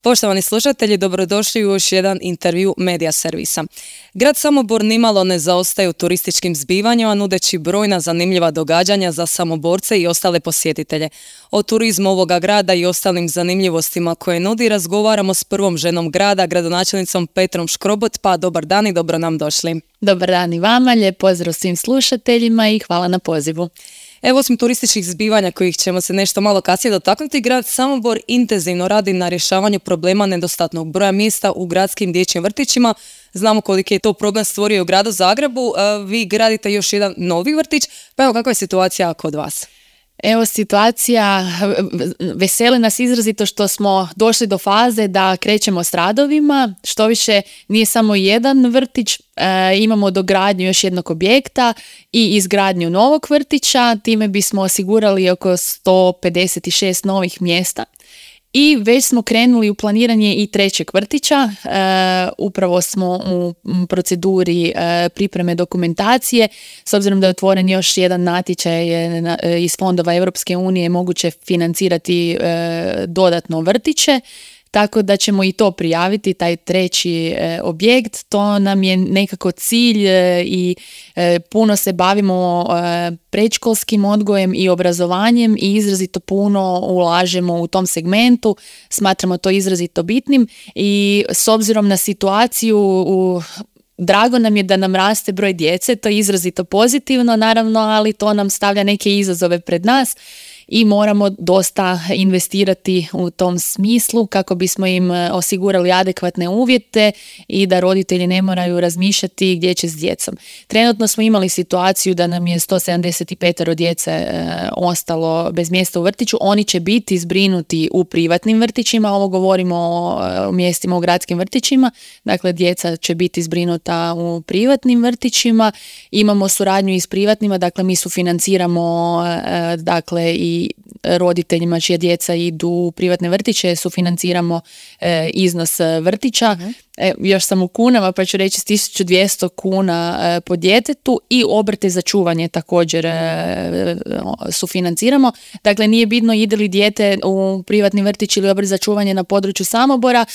Poštovani slušatelji, dobrodošli u još jedan intervju Medija servisa. Grad Samobor nimalo ne zaostaje u turističkim zbivanjima, nudeći brojna zanimljiva događanja za Samoborce i ostale posjetitelje. O turizmu ovoga grada i ostalim zanimljivostima koje nudi razgovaramo s prvom ženom grada, gradonačelnicom Petrom Škrobot. Pa dobar dan i dobro nam došli. Dobar dan i vama, lijep pozdrav svim slušateljima i hvala na pozivu. Evo, osim turističkih zbivanja kojih ćemo se nešto malo kasnije dotaknuti, grad Samobor intenzivno radi na rješavanju problema nedostatnog broja mjesta u gradskim dječjim vrtićima. Znamo koliki je to problem stvorio u gradu Zagrebu. Vi gradite još jedan novi vrtić, pa evo kakva je situacija kod vas? Evo situacija, veseli nas izrazito što smo došli do faze da krećemo s radovima, što više nije samo jedan vrtić, imamo dogradnju još jednog objekta i izgradnju novog vrtića, time bismo osigurali oko 156 novih mjesta. I već smo krenuli u planiranje i trećeg vrtića, upravo smo u proceduri pripreme dokumentacije, s obzirom da je otvoren još jedan natječaj iz fondova Europske unije, moguće financirati dodatno vrtiće, tako da ćemo i to prijaviti, taj treći objekt. To nam je nekako cilj i puno se bavimo predškolskim odgojem i obrazovanjem i izrazito puno ulažemo u tom segmentu. Smatramo to izrazito bitnim i s obzirom na situaciju drago nam je da nam raste broj djece, to je izrazito pozitivno naravno, ali to nam stavlja neke izazove pred nas i moramo dosta investirati u tom smislu kako bismo im osigurali adekvatne uvjete i da roditelji ne moraju razmišljati gdje će s djecom. Trenutno smo imali situaciju da nam je 175 djece ostalo bez mjesta u vrtiću. Oni će biti zbrinuti u privatnim vrtićima, ovo govorimo o mjestima u gradskim vrtićima, dakle djeca će biti zbrinuta u privatnim vrtićima. Imamo suradnju i s privatnima, dakle mi sufinanciramo dakle i roditeljima čija djeca idu u privatne vrtiće, sufinanciramo iznos vrtića. Još sam u kunama pa ću reći 1200 kuna po djetetu i obrte za čuvanje također sufinanciramo. Dakle, nije bitno ide li dijete u privatni vrtić ili obrt za čuvanje na području Samobora,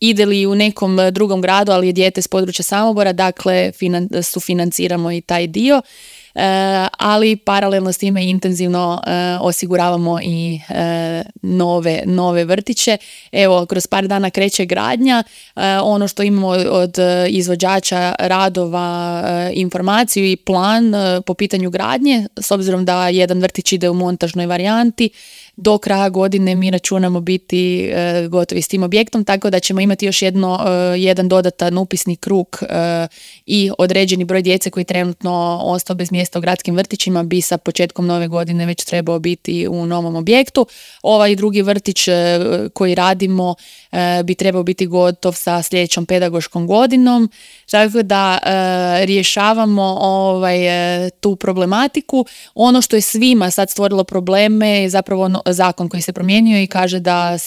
ide li u nekom drugom gradu, ali je dijete s područja Samobora, dakle sufinanciramo i taj dio. Ali paralelno s time intenzivno osiguravamo i nove vrtiće. Evo, kroz par dana kreće gradnja. Ono što imamo od izvođača radova, informaciju i plan po pitanju gradnje, s obzirom da jedan vrtić ide u montažnoj varijanti, do kraja godine mi računamo biti gotovi s tim objektom, tako da ćemo imati još jedan dodatan upisni krug i određeni broj djece koji trenutno ostao bez mjesta u gradskim vrtićima bi sa početkom nove godine već trebao biti u novom objektu. Ovaj drugi vrtić koji radimo bi trebao biti gotov sa sljedećom pedagoškom godinom, tako da rješavamo tu problematiku. Ono što je svima sad stvorilo probleme je zapravo zakon koji se promijenio i kaže da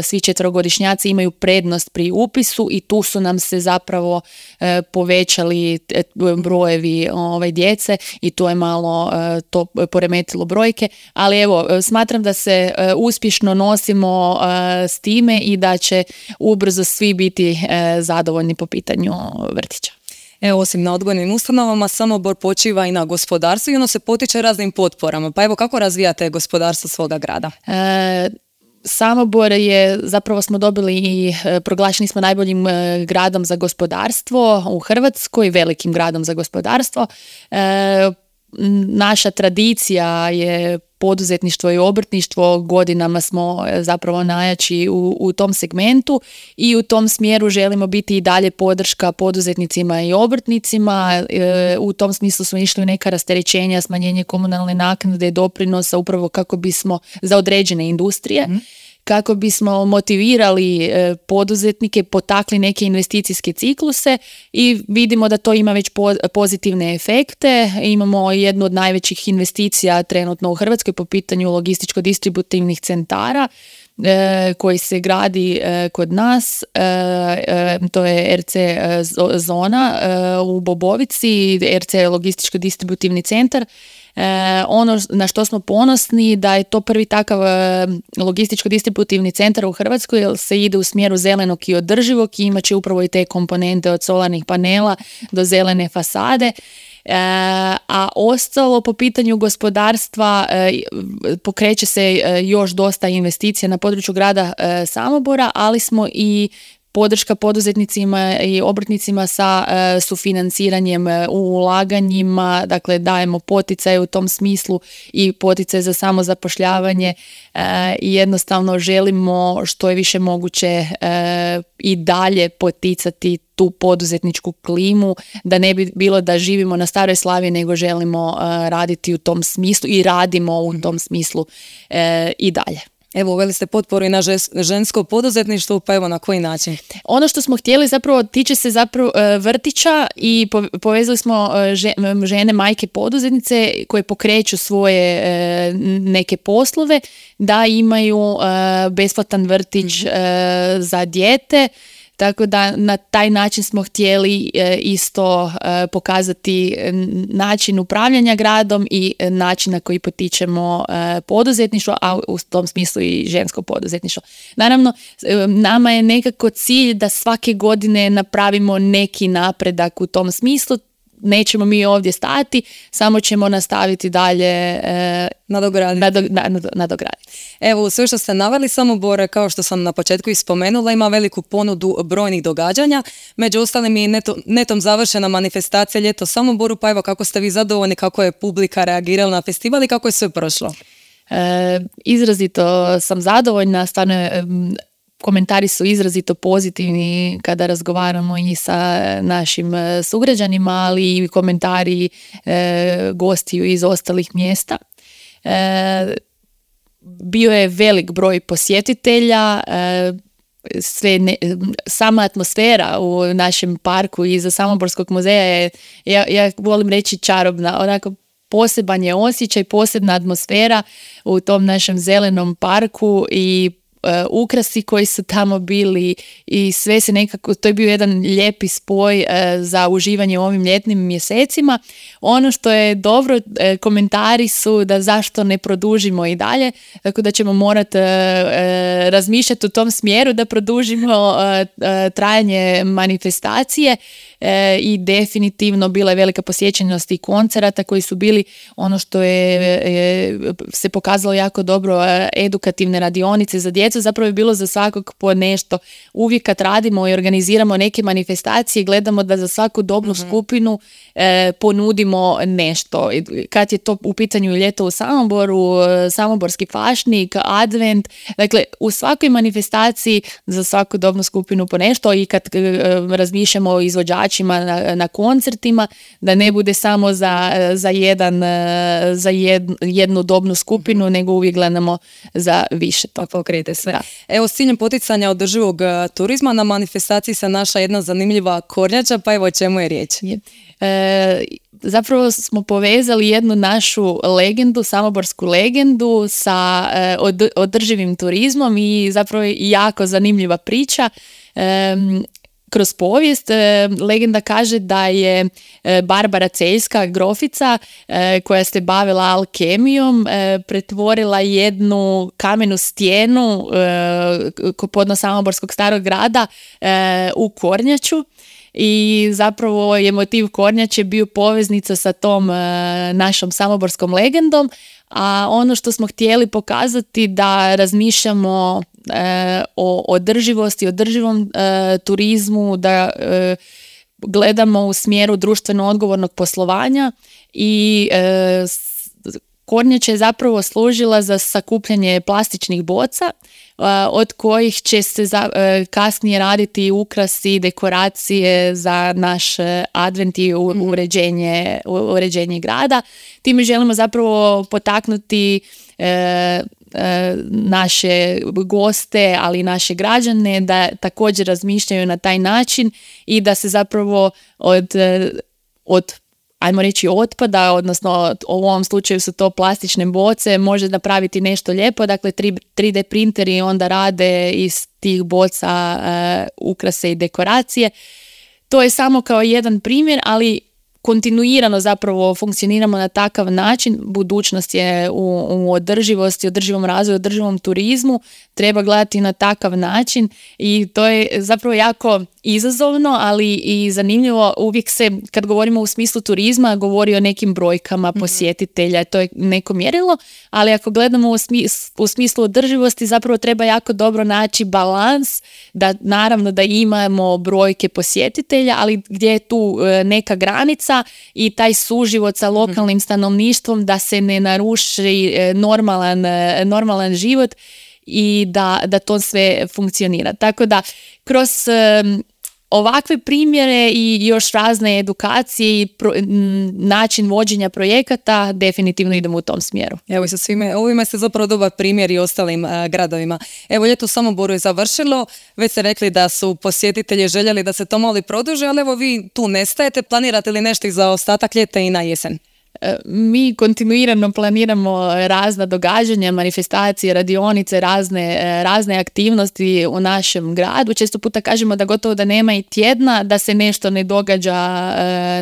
svi četverogodišnjaci imaju prednost pri upisu i tu su nam se zapravo povećali brojevi djece i to je malo to poremetilo brojke, ali evo, smatram da se uspješno nosimo s time i da će ubrzo svi biti zadovoljni po pitanju vrtića. Evo, osim na odgojnim ustanovama, Samobor počiva i na gospodarstvu i ono se potiče raznim potporama. Pa evo, kako razvijate gospodarstvo svoga grada? Samobor je, zapravo smo dobili i proglašeni smo najboljim gradom za gospodarstvo u Hrvatskoj, velikim gradom za gospodarstvo. Naša tradicija je poduzetništvo i obrtništvo, godinama smo zapravo najjači u tom segmentu i u tom smjeru želimo biti i dalje podrška poduzetnicima i obrtnicima. U tom smislu smo išli u neka rasterećenja, smanjenje komunalne naknade, doprinosa upravo kako bismo za određene industrije. Kako bismo motivirali poduzetnike, potakli neke investicijske cikluse i vidimo da to ima već pozitivne efekte. Imamo jednu od najvećih investicija trenutno u Hrvatskoj po pitanju logističko-distributivnih centara koji se gradi kod nas, to je RC zona u Bobovici, RC logističko-distributivni centar Ono na što smo ponosni da je to prvi takav logističko-distributivni centar u Hrvatskoj, jer se ide u smjeru zelenog i održivog i imat će upravo i te komponente od solarnih panela do zelene fasade. A ostalo po pitanju gospodarstva pokreće se još dosta investicija na području grada Samobora, ali smo i podrška poduzetnicima i obrtnicima sa sufinanciranjem u ulaganjima, dakle dajemo poticaje u tom smislu i poticaje za samozapošljavanje i jednostavno želimo što je više moguće i dalje poticati tu poduzetničku klimu, da ne bi bilo da živimo na Staroj Slavi, nego želimo raditi u tom smislu i radimo u tom smislu i dalje. Evo, uveli ste potporu i na žensko poduzetništvo, pa evo na koji način? Ono što smo htjeli zapravo tiče se zapravo vrtića i povezali smo žene, majke poduzetnice koje pokreću svoje neke poslove da imaju besplatan vrtić za dijete. Tako da na taj način smo htjeli isto pokazati način upravljanja gradom i način na koji potičemo poduzetništvo, a u tom smislu i žensko poduzetništvo. Naravno, nama je nekako cilj da svake godine napravimo neki napredak u tom smislu. Nećemo mi ovdje stati, samo ćemo nastaviti dalje nadograditi. Evo, sve što ste naveli, Samobor, kao što sam na početku i spomenula, ima veliku ponudu brojnih događanja. Među ostalim i netom završena manifestacija Ljeto Samoboru, pa evo kako ste vi zadovoljni, kako je publika reagirala na festival i kako je sve prošlo? Izrazito sam zadovoljna, stvarno komentari su izrazito pozitivni kada razgovaramo i sa našim sugrađanima, ali i komentari gostiju iz ostalih mjesta. Bio je velik broj posjetitelja, sama atmosfera u našem parku iza Samoborskog muzeja je, ja volim reći, čarobna, onako poseban je osjećaj, posebna atmosfera u tom našem zelenom parku i ukrasi koji su tamo bili i sve se nekako, to je bio jedan lijepi spoj za uživanje u ovim ljetnim mjesecima. Ono što je dobro, komentari su da zašto ne produžimo i dalje, tako da ćemo morati razmišljati u tom smjeru da produžimo trajanje manifestacije i definitivno bila je velika posjećenost i koncerata koji su bili, ono što je se pokazalo jako dobro, edukativne radionice za djecu, zapravo je bilo za svakog po nešto. Uvijek kad radimo i organiziramo neke manifestacije, gledamo da za svaku dobnu skupinu ponudimo nešto. Kad je to u pitanju Ljeto u Samoboru, Samoborski fašnik, advent, dakle u svakoj manifestaciji za svaku dobnu skupinu po nešto i kad razmišljamo o izvođačima na koncertima, da ne bude samo za jednu dobnu skupinu, nego uvijek gledamo za više to. Pokrijete sve. Da. Evo, s ciljem poticanja održivog turizma na manifestaciji se naša jedna zanimljiva kornjača, pa evo o čemu je riječ? Zapravo smo povezali jednu našu legendu, samoborsku legendu sa održivim turizmom i zapravo je jako zanimljiva priča. Kroz povijest legenda kaže da je Barbara Celjska, grofica koja se bavila alkemijom, pretvorila jednu kamenu stijenu podno Samoborskog starog grada u kornjaču. I zapravo je motiv kornjače bio poveznica sa tom našom samoborskom legendom, a ono što smo htjeli pokazati da razmišljamo o održivosti, održivom turizmu, da gledamo u smjeru društveno odgovornog poslovanja i kornjača je zapravo služila za sakupljanje plastičnih boca od kojih će se kasnije raditi ukrasi, dekoracije za naš advent i uređenje grada. Time želimo zapravo potaknuti naše goste, ali i naše građane da također razmišljaju na taj način i da se zapravo od ajmo reći otpada, odnosno u ovom slučaju su to plastične boce, može napraviti nešto lijepo, dakle 3D printeri onda rade iz tih boca ukrase i dekoracije. To je samo kao jedan primjer, ali kontinuirano zapravo funkcioniramo na takav način, budućnost je u održivosti, održivom razvoju, održivom turizmu, treba gledati na takav način i to je zapravo jako izazovno, ali i zanimljivo. Uvijek se, kad govorimo u smislu turizma, govori o nekim brojkama posjetitelja, to je neko mjerilo, ali ako gledamo u smislu održivosti, zapravo treba jako dobro naći balans, da naravno da imamo brojke posjetitelja, ali gdje je tu neka granica i taj suživot sa lokalnim stanovništvom, da se ne naruši normalan život i da to sve funkcionira. Tako da kroz ovakve primjere i još razne edukacije i način vođenja projekata definitivno idemo u tom smjeru. Evo i sa svime, ovime ste zapravo dobar primjer i ostalim gradovima. Evo, ljeto u Samoboru je završilo, već ste rekli da su posjetitelji željeli da se to malo produži, ali evo vi tu nestajete, planirate li nešto za ostatak ljeta i na jesen? Mi planiramo razna događanja, manifestacije, radionice, razne aktivnosti u našem gradu. Često puta kažemo da gotovo da nema i tjedna da se nešto ne događa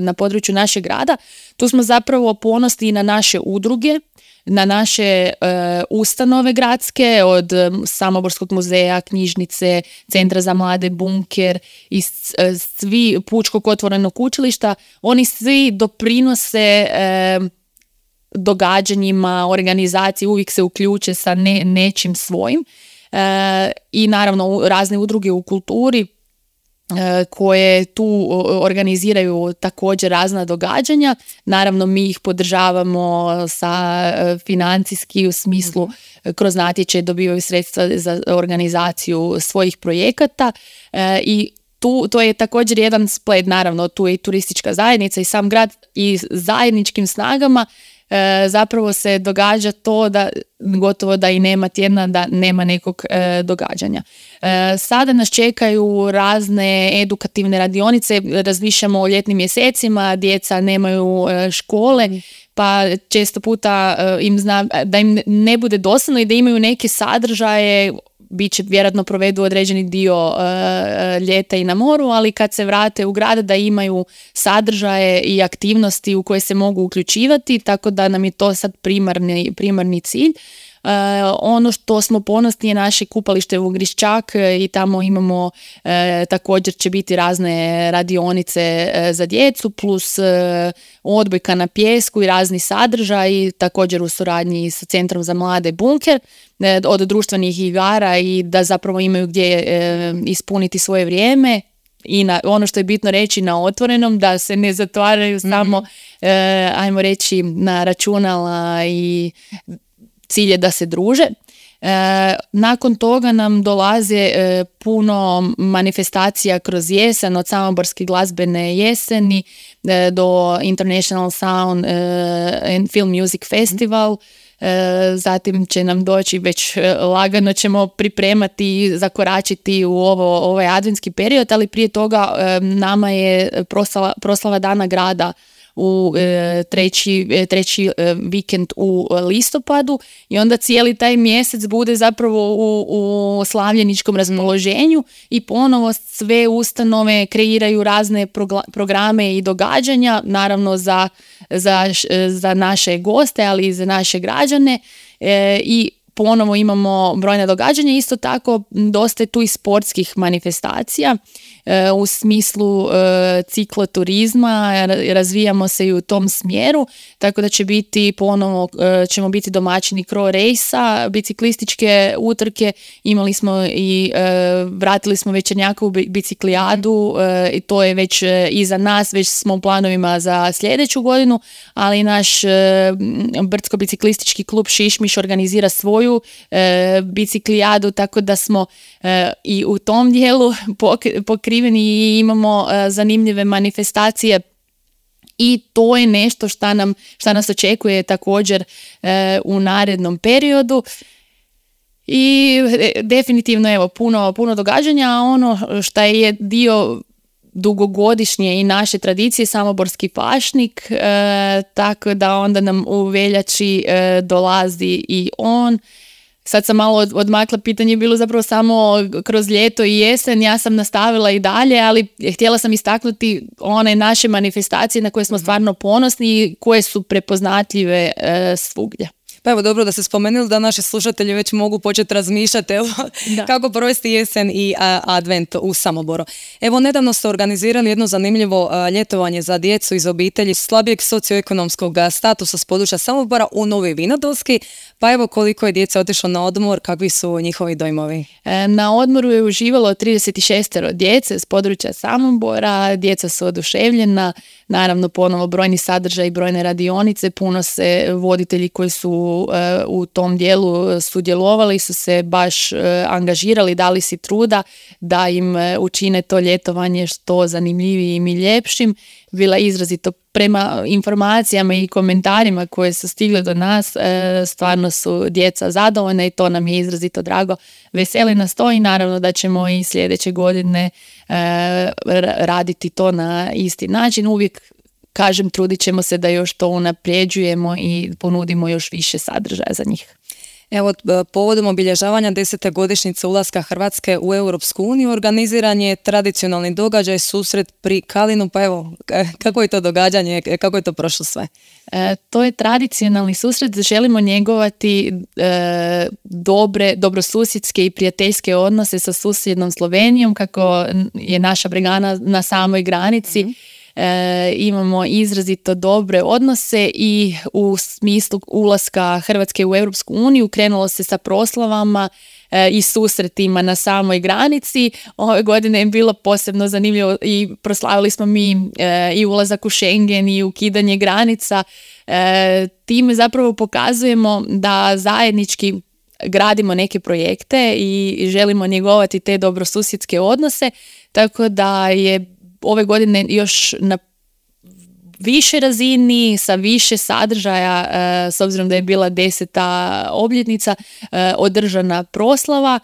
na području našeg grada. Tu smo zapravo ponosni i na naše udruge, na naše ustanove gradske, od Samoborskog muzeja, knjižnice, Centra za mlade Bunker i svi Pučkog otvorenog učilišta. Oni svi doprinose događanjima, organizaciji, uvijek se uključe sa nečim svojim. I naravno razne udruge u kulturi koje tu organiziraju također razna događanja. Naravno mi ih podržavamo sa financijski u smislu kroz natječaj dobivaju sredstva za organizaciju svojih projekata i to je također jedan splet, naravno tu je i turistička zajednica i sam grad i zajedničkim snagama zapravo se događa to da gotovo da i nema tjedna da nema nekog događanja. Sada nas čekaju razne edukativne radionice, razmišljamo o ljetnim mjesecima, djeca nemaju škole, pa često puta da im ne bude dosadno i da imaju neke sadržaje, bit će vjerojatno provedu određeni dio ljeta i na moru, ali kad se vrate u grad da imaju sadržaje i aktivnosti u koje se mogu uključivati, tako da nam je to sad primarni cilj. Ono što smo ponosni je naše kupalište u Griščak i tamo imamo također će biti razne radionice za djecu plus odbojka na pijesku i razni sadržaji, također u suradnji sa Centrom za mlade Bunker, od društvenih igara i da zapravo imaju gdje ispuniti svoje vrijeme. I ono što je bitno reći na otvorenom, da se ne zatvaraju samo ajmo reći na računala i cilj je da se druže. Nakon toga nam dolaze puno manifestacija kroz jesen, od Samoborske glazbene jeseni do International Sound and Film Music Festival. Zatim će nam doći, već lagano ćemo pripremati, zakoračiti u ovaj adventski period, ali prije toga nama je proslava Dana grada u treći vikend u listopadu i onda cijeli taj mjesec bude zapravo u slavljeničkom raspoloženju i ponovo sve ustanove kreiraju razne programe i događanja, naravno za naše goste, ali i za naše građane i ponovo imamo brojna događanja. Isto tako dosta je tu i sportskih manifestacija u smislu cikloturizma, razvijamo se i u tom smjeru, tako da će biti ponovo, ćemo biti domaćini Cro Race-a, biciklističke utrke, imali smo i vratili smo Večernjakovu biciklijadu i to je već iza nas, već smo u planovima za sljedeću godinu, ali naš brdsko-biciklistički klub Šišmiš organizira svoju biciklijadu, tako da smo i u tom dijelu pokriveni i imamo zanimljive manifestacije i to je nešto šta nas očekuje također u narednom periodu. I definitivno evo puno događanja, a ono što je dio dugogodišnje i naše tradicije, Samoborski pašnik, tako da onda nam u veljači dolazi i on sad sam malo odmakla, pitanje je bilo zapravo samo kroz ljeto i jesen, ja sam nastavila i dalje, ali htjela sam istaknuti one naše manifestacije na koje smo stvarno ponosni i koje su prepoznatljive svugdje. Pa evo, dobro da ste spomenuli da naši slušatelji već mogu početi razmišljati kako provesti jesen i advent u Samoboru. Evo, nedavno ste organizirali jedno zanimljivo ljetovanje za djecu iz obitelji slabijeg socioekonomskog statusa s područja Samobora u Novi Vinodolski. Pa evo, koliko je djeca otišlo na odmor, kakvi su njihovi dojmovi? Na odmoru je uživalo 36 djece s područja Samobora, djeca su oduševljena, naravno ponovo brojni sadržaj i brojne radionice, puno se voditelji koji su u tom dijelu sudjelovali su se baš angažirali, dali si truda da im učine to ljetovanje što zanimljivijim i ljepšim. Bila izrazito, prema informacijama i komentarima koje su stigle do nas, stvarno su djeca zadovoljna i to nam je izrazito drago. Veseli nas to i naravno da ćemo i sljedeće godine raditi to na isti način. Uvijek kažem, trudit ćemo se da još to unapređujemo i ponudimo još više sadržaja za njih. Evo, povodom obilježavanja 10. godišnjice ulaska Hrvatske u Europsku uniju organiziran je tradicionalni događaj, susret pri Kalinu. Pa evo, kako je to događanje, kako je to prošlo sve? To je tradicionalni susret, želimo njegovati dobrosusjedske i prijateljske odnose sa susjednom Slovenijom, kako je naša Bregana na samoj granici. Imamo izrazito dobre odnose i u smislu ulaska Hrvatske u Europsku uniju krenulo se sa proslavama i susretima na samoj granici. Ove godine je bilo posebno zanimljivo i proslavili smo mi i ulazak u Schengen i ukidanje granica. Time zapravo pokazujemo da zajednički gradimo neke projekte i želimo njegovati te dobrosusjedske odnose, tako da je ove godine još na više razini, sa više sadržaja, s obzirom da je bila 10. obljetnica, održana proslava.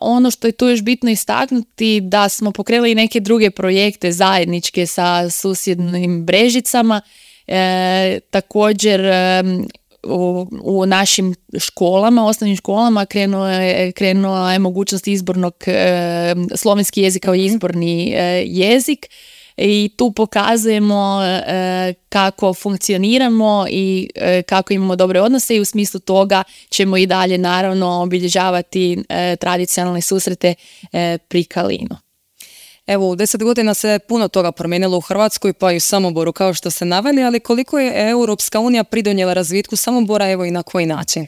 Ono što je tu još bitno istaknuti, da smo pokrenuli neke druge projekte zajedničke sa susjednim Brežicama. Također u našim školama, osnovnim školama krenula je mogućnost izbornog slovenski jezik kao izborni jezik i tu pokazujemo kako funkcioniramo i kako imamo dobre odnose i u smislu toga ćemo i dalje naravno obilježavati tradicionalne susrete pri Kalinu. Evo, u 10 godina se puno toga promijenilo u Hrvatskoj, pa i u Samoboru, kao što ste naveli, ali koliko je Europska unija pridonijela razvitku Samobora, evo i na koji način?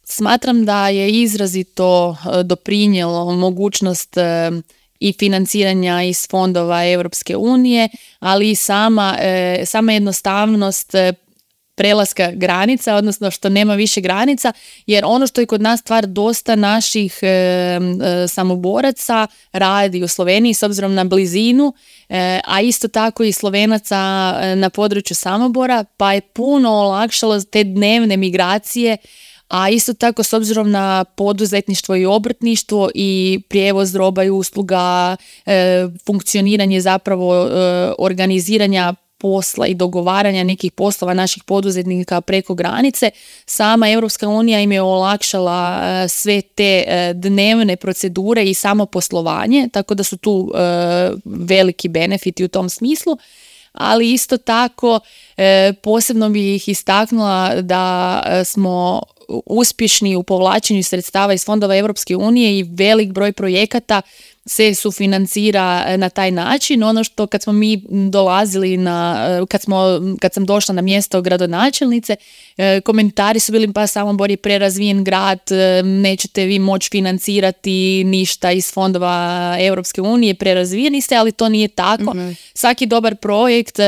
Smatram da je izrazito doprinijelo mogućnost i financiranja iz fondova Europske unije, ali i sama jednostavnost prelaska granica, odnosno što nema više granica, jer ono što je kod nas stvar, dosta naših samoboraca radi u Sloveniji s obzirom na blizinu, a isto tako i Slovenaca na području Samobora, pa je puno olakšalo te dnevne migracije, a isto tako s obzirom na poduzetništvo i obrtništvo i prijevoz roba i usluga, funkcioniranje zapravo organiziranja posla i dogovaranja nekih poslova naših poduzetnika preko granice, sama Europska unija im je olakšala sve te dnevne procedure i samo poslovanje, tako da su tu veliki benefiti u tom smislu. Ali isto tako posebno bih ih istaknula da smo uspješni u povlačenju sredstava iz fondova Europske unije i velik broj projekata se sufinancira na taj način. Ono što kad smo mi dolazili kad sam došla na mjesto gradonačelnice, komentari su bili pa Samobor je prerazvijen grad, nećete vi moći financirati ništa iz fondova Europske unije, prerazvijeni ste, ali to nije tako. Mm-hmm. Svaki dobar projekt,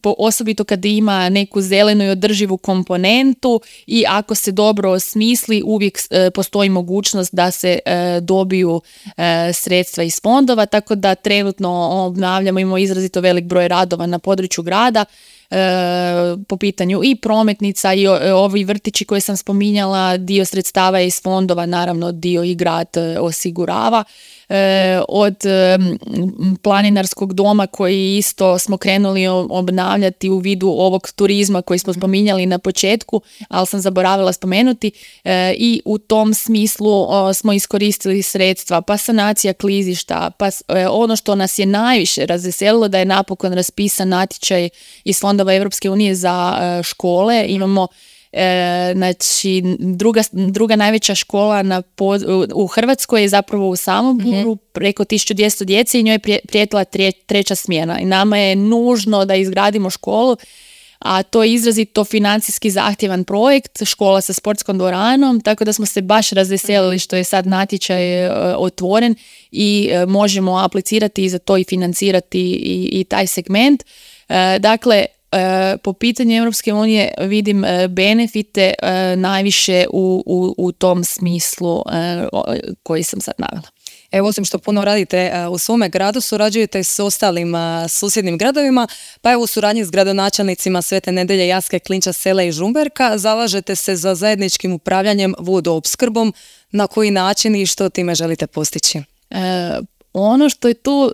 osobito kad ima neku zelenu i održivu komponentu i ako se dobro osmisli, uvijek postoji mogućnost da se dobiju sredstva iz fondova, tako da trenutno obnavljamo, imamo izrazito velik broj radova na području grada. po pitanju i prometnica i ovi vrtići koje sam spominjala, dio sredstava je iz fondova, naravno dio i grad osigurava. Od planinarskog doma koji isto smo krenuli obnavljati u vidu ovog turizma koji smo spominjali na početku, ali sam zaboravila spomenuti, i u tom smislu smo iskoristili sredstva, pa sanacija klizišta, pa ono što nas je najviše razveselilo da je napokon raspisan natječaj iz fondova Europske unije za škole. Imamo znači druga najveća škola u Hrvatskoj je zapravo u Samoboru, preko 1200 djece i njoj je prijetila treća smjena i nama je nužno da izgradimo školu, a to je izrazito financijski zahtjevan projekt, škola sa sportskom dvoranom, tako da smo se baš razveselili što je sad natječaj otvoren i možemo aplicirati i za to i financirati i taj segment. Dakle, po pitanju Europske unije vidim benefite najviše u tom smislu koji sam sad navela. Evo, osim što puno radite u svome gradu, surađujete s ostalim susjednim gradovima, pa evo u suradnji s gradonačelnicima Svete Nedelje, Jaske, Klinča, Sela i Žumberka zalažete se za zajedničkim upravljanjem vodoopskrbom. Na koji način i što time želite postići? Ono što je tu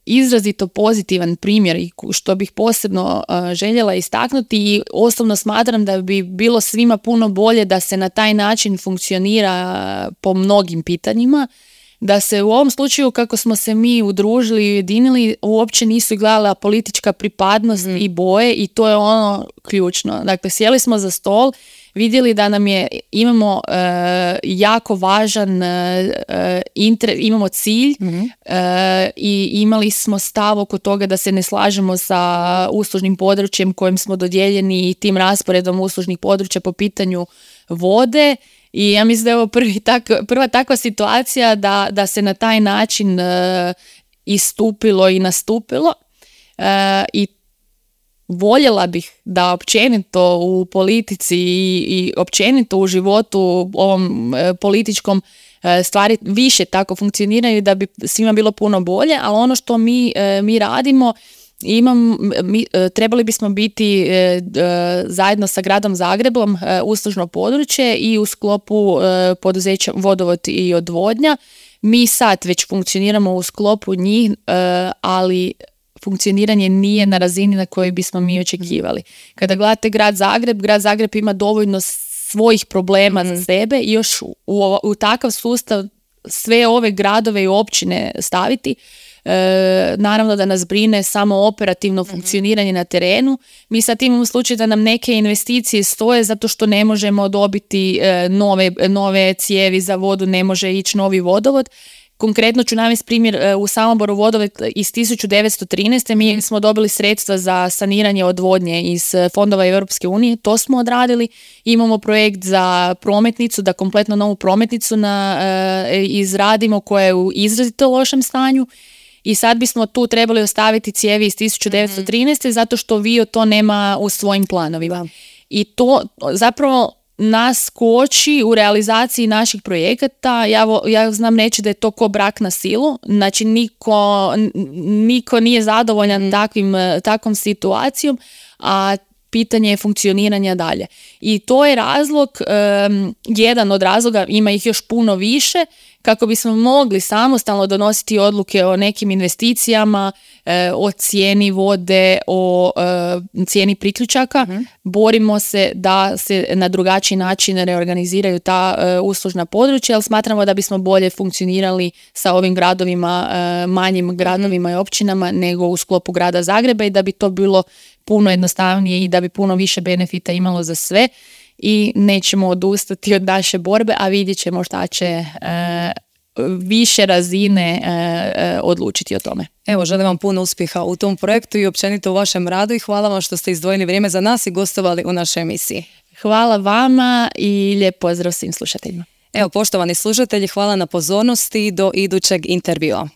izrazito pozitivan primjer i što bih posebno željela istaknuti i osobno smatram da bi bilo svima puno bolje da se na taj način funkcionira po mnogim pitanjima, da se u ovom slučaju kako smo se mi udružili i ujedinili uopće nisu gledala politička pripadnost i boje i to je ono ključno. Dakle, sjeli smo za stol, vidjeli da imamo jako važan imamo cilj i imali smo stav oko toga da se ne slažemo sa uslužnim područjem kojim smo dodijeljeni i tim rasporedom uslužnih područja po pitanju vode. I ja mislim da je ovo prva takva situacija da se na taj način istupilo i nastupilo i voljela bih da općenito u politici i općenito u životu ovom političkom stvari više tako funkcioniraju da bi svima bilo puno bolje, ali ono što mi radimo, trebali bismo biti zajedno sa gradom Zagrebom uslužno područje i u sklopu poduzeća Vodovod i odvodnja. Mi sad već funkcioniramo u sklopu njih, ali funkcioniranje nije na razini na kojoj bismo mi očekivali. Kada gledate grad Zagreb ima dovoljno svojih problema za sebe i još u takav sustav sve ove gradove i općine staviti. Naravno da nas brine samo operativno funkcioniranje na terenu. Mi sad imamo slučaj da nam neke investicije stoje zato što ne možemo dobiti nove cijevi za vodu, ne može ići novi vodovod. Konkretno ću navesti primjer u Samoboru vodovod iz 1913. Mi smo dobili sredstva za saniranje odvodnje iz fondova Europske unije, to smo odradili. Imamo projekt za prometnicu, da kompletno novu prometnicu izradimo koja je u izrazito lošem stanju. I sad bismo tu trebali ostaviti cijevi iz 1913. zato što Vio to nema u svojim planovima. I to zapravo nas koči u realizaciji naših projekata. Ja znam reći da je to ko brak na silu. Znači niko nije zadovoljan takvom situacijom, a pitanje je funkcioniranja dalje. I to je razlog, jedan od razloga, ima ih još puno više, kako bismo mogli samostalno donositi odluke o nekim investicijama, o cijeni vode, o cijeni priključaka. Borimo se da se na drugačiji način reorganiziraju ta uslužna područja, ali smatramo da bismo bolje funkcionirali sa ovim gradovima, manjim gradovima i općinama nego u sklopu grada Zagreba i da bi to bilo puno jednostavnije i da bi puno više benefita imalo za sve. I nećemo odustati od naše borbe, a vidjet ćemo šta će više razine odlučiti o tome. Evo, želim vam puno uspjeha u tom projektu i općenito u vašem radu i hvala vam što ste izdvojili vrijeme za nas i gostovali u našoj emisiji. Hvala vama i lijep pozdrav svim slušateljima. Evo, poštovani slušatelji, hvala na pozornosti do idućeg intervjua.